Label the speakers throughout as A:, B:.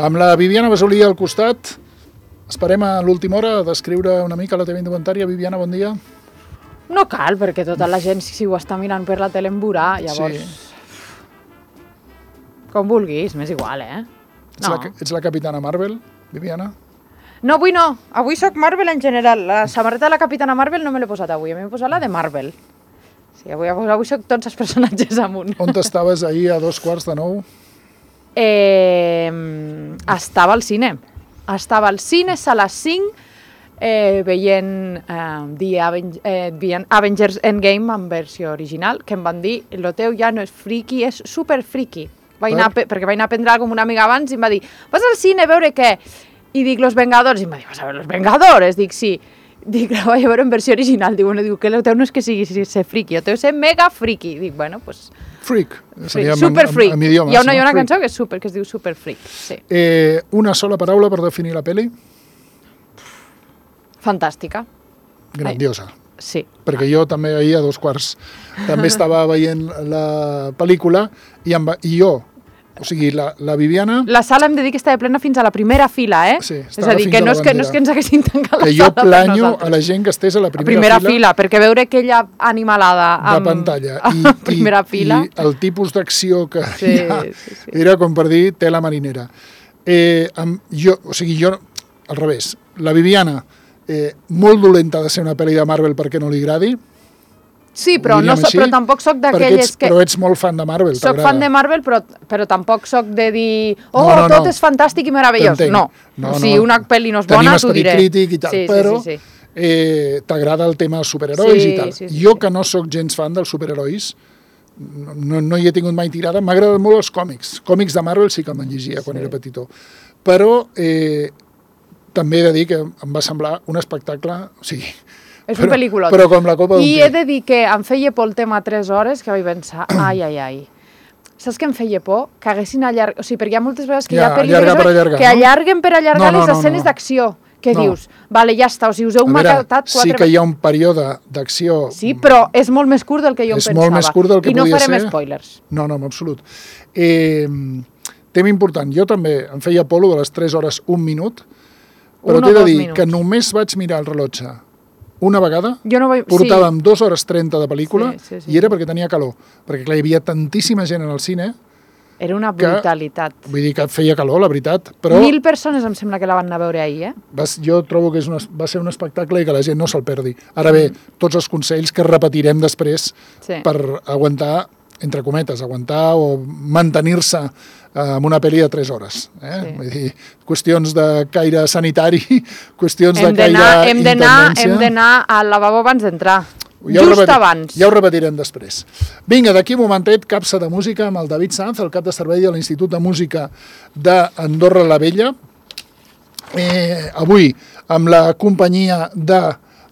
A: Amb la Viviana Basolí al costat, esperem a l'última hora descriure una mica la teva indumentària. Viviana, bon dia.
B: No cal, perquè tota la gent, si ho està mirant per la tele, em veurà, llavors...
A: Sí.
B: Com vulguis, m'és igual, No.
A: Ets la capitana Marvel, Viviana?
B: No, avui no. Avui soc Marvel en general. La samarreta de la capitana Marvel no me l'he posat avui. A mi m'he posat la de Marvel. Sí, avui soc tots els personatges amunt.
A: On estaves ahir a 2:15?
B: Estava al cine. Estava al cine, sala 5, veient Avengers Endgame en versió original, que em van dir, lo teu ja no és friki, és super friki. Perquè vaig anar a prendre alguna cosa amb una amiga abans i em va dir, vas al cine a veure què? I dic, Los Vengadores. I em va dir, vas a veure Los Vengadores? Dic, sí. Dic, la vaig a veure en versió original. Diu que el teu no és que sigui ser friki, el teu és ser mega friki. Dic, bueno, doncs...
A: Freak.
B: Super freak.
A: Hi ha
B: una cançó que es diu Super Freak. Sí.
A: Una sola paraula per definir la pel·li?
B: Fantàstica.
A: Grandiosa.
B: Sí.
A: Perquè jo també ahir a 2:15 també estava veient la pel·lícula i jo, o sigui, la Viviana...
B: La sala hem de dir que estava plena fins a la primera fila,
A: Sí,
B: és a dir, que no és que ens haguessin tancat la sala.
A: Que jo planyo a la gent que estés a la primera
B: fila, perquè veure aquella animalada
A: de pantalla
B: a primera fila...
A: I el tipus d'acció que hi ha era com per dir tela marinera. Jo, al revés, la Viviana, molt dolenta de ser una pel·li de Marvel perquè no li agradi.
B: Sí, però tampoc soc d'aquelles que...
A: Però ets molt fan de Marvel,
B: t'agrada. Soc fan de Marvel, però tampoc soc de dir tot és fantàstic i meravellós. No. Si una pel·li no és bona, t'ho diré.
A: Tenim esperit crític i tal, però t'agrada el tema dels superherois i tal. Jo, que no sóc gens fan dels superherois, no hi he tingut mai tirada, m'agraden molt els còmics. Còmics de Marvel sí que me'n llegia quan era petitó. Però també he de dir que em va semblar un espectacle... O sigui,
B: és un pel·lículot.
A: Però com la copa d'un
B: I he de dir que em feia por el tema 3 hores, que vaig pensar, ai. Saps què em feia por? Que haguessin allargat... O sigui, perquè hi ha moltes vegades que hi ha pel·lícules que allarguen per allargar les escenes d'acció. Que dius, vale, ja està, o sigui, us heu matat 4...
A: Sí que hi ha un període d'acció...
B: Sí, però és molt més curt del que jo em pensava.
A: És molt més curt del que podia ser.
B: I no farem spoilers.
A: No, en absolut. Tema important, jo també em feia polo de les 3 hores 1 minut, però t'he de dir que només vaig mirar el rellotge una vegada, portàvem 2 hores 30 de pel·lícula i era perquè tenia calor, perquè clar, hi havia tantíssima gent en el cine.
B: Era una brutalitat.
A: Vull dir que feia calor, la veritat, però...
B: 1.000 persones em sembla que la van anar a veure ahir,
A: Jo trobo que va ser un espectacle i que la gent no se'l perdi. Ara bé, tots els consells que repetirem després per aguantar, entre cometes, aguantar o mantenir-se amb una pel·li de 3 hores. Vull dir, qüestions de caire sanitari, qüestions de caire intendència...
B: Hem d'anar al lavabo abans d'entrar. Abans.
A: Ja ho repetirem després. Vinga, d'aquí un momentet, capsa de música amb el David Sanz, el cap de servei de l'Institut de Música d'Andorra la Vella. Avui, amb la companyia de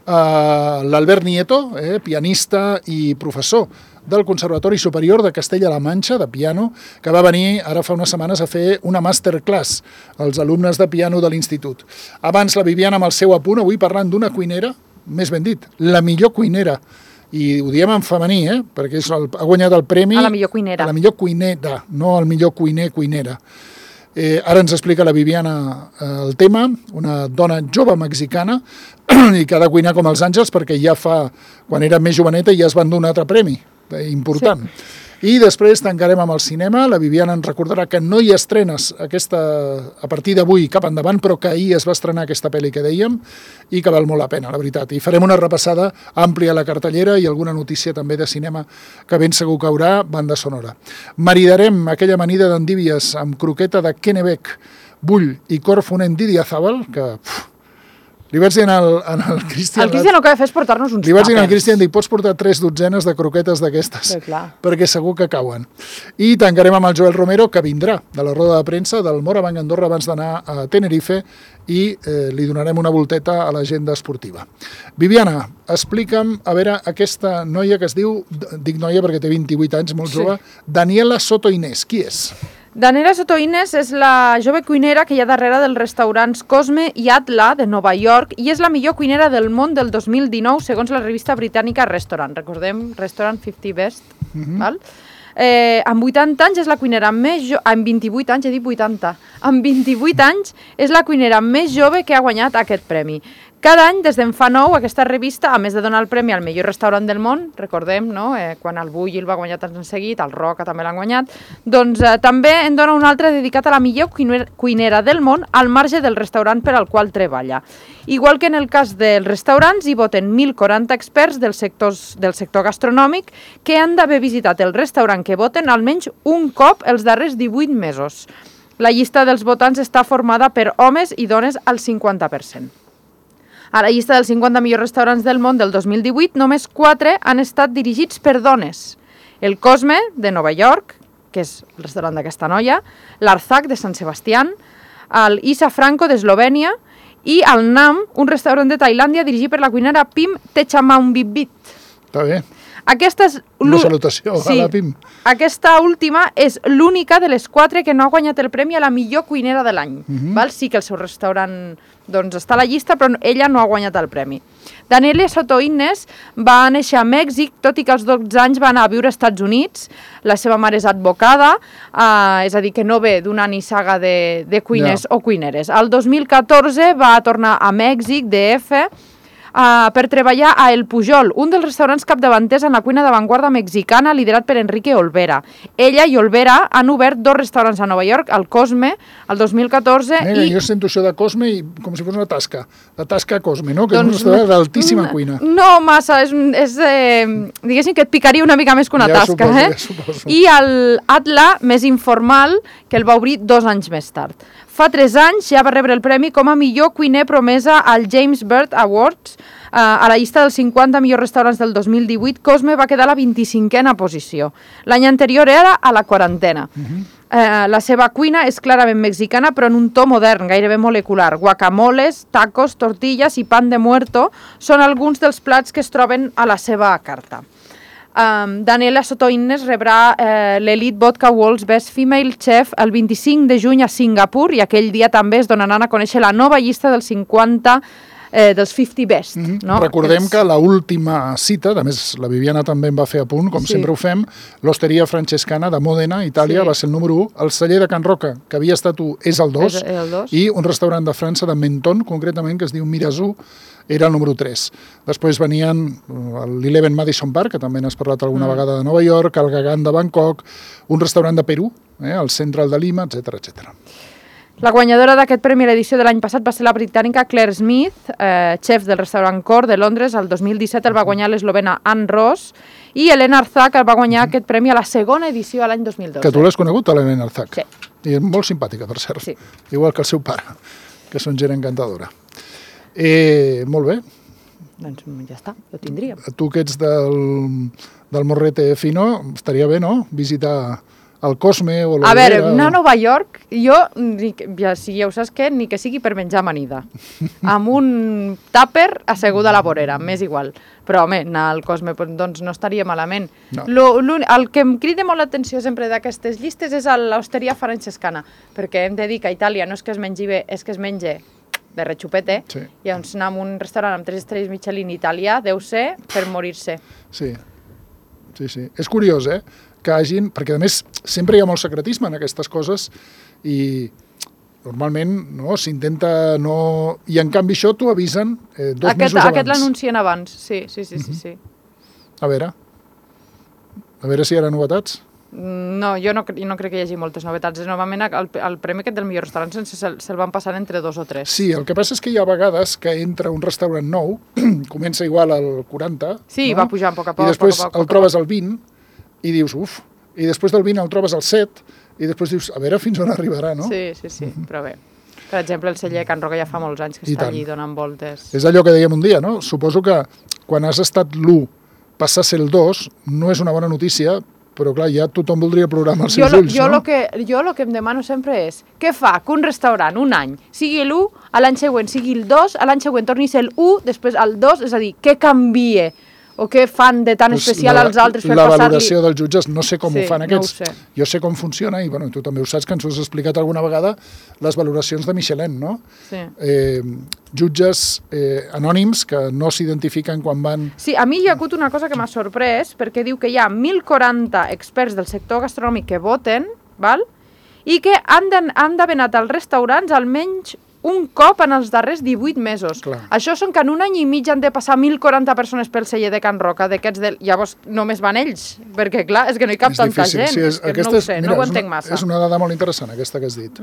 A: l'Albert Nieto, pianista i professor del Conservatori Superior de Castella-La Manxa, de piano, que va venir ara fa unes setmanes a fer una masterclass als alumnes de piano de l'institut. Abans la Viviana amb el seu apunt, avui parlant d'una cuinera, més ben dit, la millor cuinera, i ho diem en femení, perquè ha guanyat el premi...
B: A la millor cuinera.
A: A la millor cuinera, no al millor cuinera. Ara ens explica la Viviana el tema, una dona jove mexicana i que ha de cuinar com els àngels perquè ja fa, quan era més joveneta, ja es van donar un altre premi important. I després tancarem amb el cinema. La Viviana ens recordarà que no hi ha estrenes a partir d'avui cap endavant, però que ahir es va estrenar aquesta pel·li que dèiem i que val molt la pena, la veritat. I farem una repassada àmplia a la cartellera i alguna notícia també de cinema que ben segur que haurà, banda sonora. Maridarem aquella amanida d'endívies amb croqueta de Kennebec, bull i cor fonent d'Idiazábal, que... Li vaig dir al Cristian...
B: El Cristian el que ha de fer és portar-nos uns tàpers.
A: Li vaig dir al Cristian, pots portar 3 dotzenes de croquetes d'aquestes, perquè segur que cauen. I tancarem amb el Joel Romero, que vindrà de la roda de premsa del Morabanc Andorra abans d'anar a Tenerife i li donarem una volteta a l'agenda esportiva. Viviana, explica'm, a veure, aquesta noia que es diu, dic noia perquè té 28 anys, molt jove, Daniela Soto Inés, qui és?
B: Daniela Soto Inés és la jove cuinera que hi ha darrere dels restaurants Cosme i Atla de Nova York i és la millor cuinera del món del 2019 segons la revista britànica Restaurant. Recordem, Restaurant 50 Best. Val? amb 80 anys és la cuinera més jove, amb 28 anys, he dit 80, amb 28 anys és la cuinera més jove que ha guanyat aquest premi. Cada any, des d'en fa 9, aquesta revista, a més de donar el premi al millor restaurant del món, recordem, no? Quan el Bulli el va guanyar tant en seguit, el Roca també l'han guanyat, doncs també en dona un altre dedicat a la millor cuinera del món al marge del restaurant per al qual treballa. Igual que en el cas dels restaurants, hi voten 1.040 experts del sector gastronòmic que han d'haver visitat el restaurant que voten almenys un cop els darrers 18 mesos. La llista dels votants està formada per homes i dones al 50%. A la llista dels 50 millors restaurants del món del 2018, només 4 han estat dirigits per dones. El Cosme, de Nova York, que és el restaurant d'aquesta noia, l'Arzak, de Sant Sebastián, el Isa Franco, d'Eslovènia, i el Nam, un restaurant de Tailàndia dirigit per la cuinera Pim Techamaunvitvit.
A: Està bé.
B: Aquesta és
A: una salutació a la Pim.
B: Aquesta última és l'única de les 4 que no ha guanyat el premi a la millor cuinera de l'any. Sí que el seu restaurant està a la llista, però ella no ha guanyat el premi. Daniele Soto-Innes va néixer a Mèxic, tot i que als 12 anys va anar a viure als Estats Units. La seva mare és advocada, és a dir, que no ve d'una nissaga de cuiners o cuineres. El 2014 va tornar a Mèxic, DF, per treballar a El Pujol, un dels restaurants capdavanters en la cuina d'avantguarda mexicana liderat per Enrique Olvera. Ella i Olvera han obert 2 restaurants a Nova York, el Cosme, el 2014...
A: Jo sento això de Cosme com si fos una tasca, la tasca Cosme, no? Que és un restaurant d'altíssima cuina.
B: No massa, diguéssim que et picaria una mica més que una tasca.
A: Suposo.
B: I l'Atla, més informal, que el va obrir 2 anys més tard. Fa 3 anys ja va rebre el premi com a millor cuiner promesa al James Beard Awards. A la llista dels 50 millors restaurants del 2018, Cosme va quedar a la 25a posició. L'any anterior era a la 40a. La seva cuina és clarament mexicana, però en un to modern, gairebé molecular. Guacamoles, tacos, tortillas i pan de muerto són alguns dels plats que es troben a la seva carta. Daniela Soto-Innes rebrà l'Elite Vodka World's Best Female Chef el 25 de juny a Singapur i aquell dia també es donaran a conèixer la nova llista dels 50 dels 50 Best.
A: Recordem que l'última cita, a més la Viviana també en va fer a punt, com sempre ho fem, l'Osteria Francescana de Mòdena, Itàlia, va ser el número 1, el celler de Can Roca, que havia estat 1, és el 2, i un restaurant de França, de Menton, concretament, que es diu Mirazú, era el número 3. Després venien l'Eleven Madison Park, que també n'has parlat alguna vegada de Nova York, el Gagán de Bangkok, un restaurant de Perú, el Central de Lima, etc.
B: La guanyadora d'aquest premi a l'edició de l'any passat va ser la britànica Claire Smith, xef del restaurant Cor de Londres. El 2017 el va guanyar l'eslovena Anne Ross i Elena Arzak el va guanyar aquest premi a la segona edició a l'any 2012.
A: Que tu l'has conegut, Elena Arzak?
B: Sí.
A: I és molt simpàtica, per cert.
B: Sí.
A: Igual que el seu pare, que són gent encantadora. Molt bé.
B: Doncs ja està, ho tindríem.
A: Tu que ets del Morrete Fino, estaria bé, no?, visitar el Cosme o l'Olvera.
B: A veure, anar a Nova York, jo, ja ho saps què, ni que sigui per menjar amanida. Amb un tàper asseguda a la vorera, m'és igual. Però, home, anar al Cosme doncs no estaria malament.
A: No.
B: El que em crida molt l'atenció sempre d'aquestes llistes és l'Osteria Francescana, perquè hem de dir que a Itàlia no és que es mengi bé, és que es menja de rechupete,
A: sí.
B: I llavors anar a un restaurant amb 3 estrelles Michelin italià deu ser per morir-se.
A: Sí. És curiós, que hagin... Perquè, a més, sempre hi ha molt secretisme en aquestes coses i normalment s'intenta no... I, en canvi, això t'ho avisen 2 mesos abans.
B: Aquest l'anuncien abans, sí.
A: A veure si hi ha novetats.
B: No, jo no crec que hi hagi moltes novetats. Normalment el premi aquest del millor restaurant se'l van passar entre 2 o 3.
A: Sí, el que passa és que hi ha vegades que entra un restaurant nou, comença igual al 40,
B: sí, va pujant a poc a poc.
A: I després el trobes al 20 i dius, uf, i després del 20 el trobes al 7 i després dius, a veure fins on arribarà, no?
B: Sí, però bé. Per exemple, el celler Can Roca ja fa molts anys que està allí donant voltes.
A: És allò que dèiem un dia, no? Suposo que quan has estat l'1 passar a ser el 2 no és una bona notícia, però clar, ja tothom voldria plorar amb els seus ulls, no?
B: Jo el que em demano sempre és què fa que un restaurant un any sigui l'1, a l'any següent sigui el 2, a l'any següent torni a ser l'1, després el 2, és a dir, què canvia O què fan de tan especial als altres per
A: la
B: passar-li...
A: valoració dels jutges, no sé com ho fan aquests.
B: No ho sé.
A: Jo sé com funciona, i bueno, tu també ho saps, que ens ho has explicat alguna vegada, les valoracions de Michelin, no?
B: Sí.
A: Jutges anònims que no s'identifiquen quan van...
B: Sí, a mi hi ha hagut una cosa que m'ha sorprès, perquè diu que hi ha 1.040 experts del sector gastronòmic que voten, val? I que han d'haver anat als restaurants almenys un cop en els darrers 18 mesos.
A: Clar.
B: Això són que en un any i mig han de passar 1.040 persones pel celler de Can Roca, llavors només van ells, perquè clar, és que no hi cap tanta gent.
A: Sí,
B: no ho sé, no ho entenc massa.
A: És una dada molt interessant, aquesta que has dit.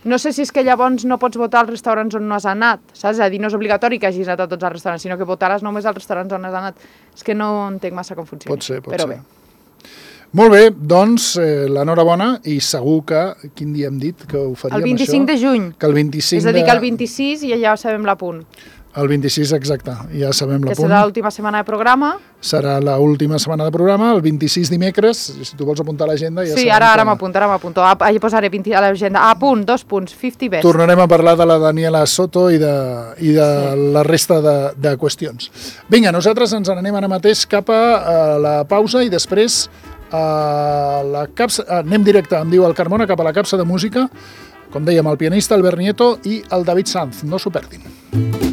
B: No sé si és que llavors no pots votar als restaurants on no has anat, saps? És a dir, no és obligatori que hagis anat a tots els restaurants, sinó que votaràs només als restaurants on has anat. És que no entenc massa com funciona.
A: Pot ser.
B: Bé.
A: Molt bé, doncs l'enhorabona, i segur que, quin dia hem dit que ho faríem,
B: el 25 de juny.
A: Que el 25
B: és a dir, que el 26 ja sabem l'apunt.
A: El 26, exacte, ja sabem l'apunt.
B: Que serà l'última setmana de programa.
A: Serà l'última setmana de programa, el 26 dimecres, si tu vols apuntar a l'agenda... Ja
B: sí, ara m'apunto. Allà posaré a l'agenda. A punt, 2 punts, 50 best.
A: Tornarem a parlar de la Daniela Soto i de la resta de qüestions. Vinga, nosaltres ens n'anem ara mateix cap a la pausa i després anem directe, em diu el Carmona, cap a la capsa de música, com dèiem, el pianista Albert Nieto i el David Sanz. No s'ho perdin.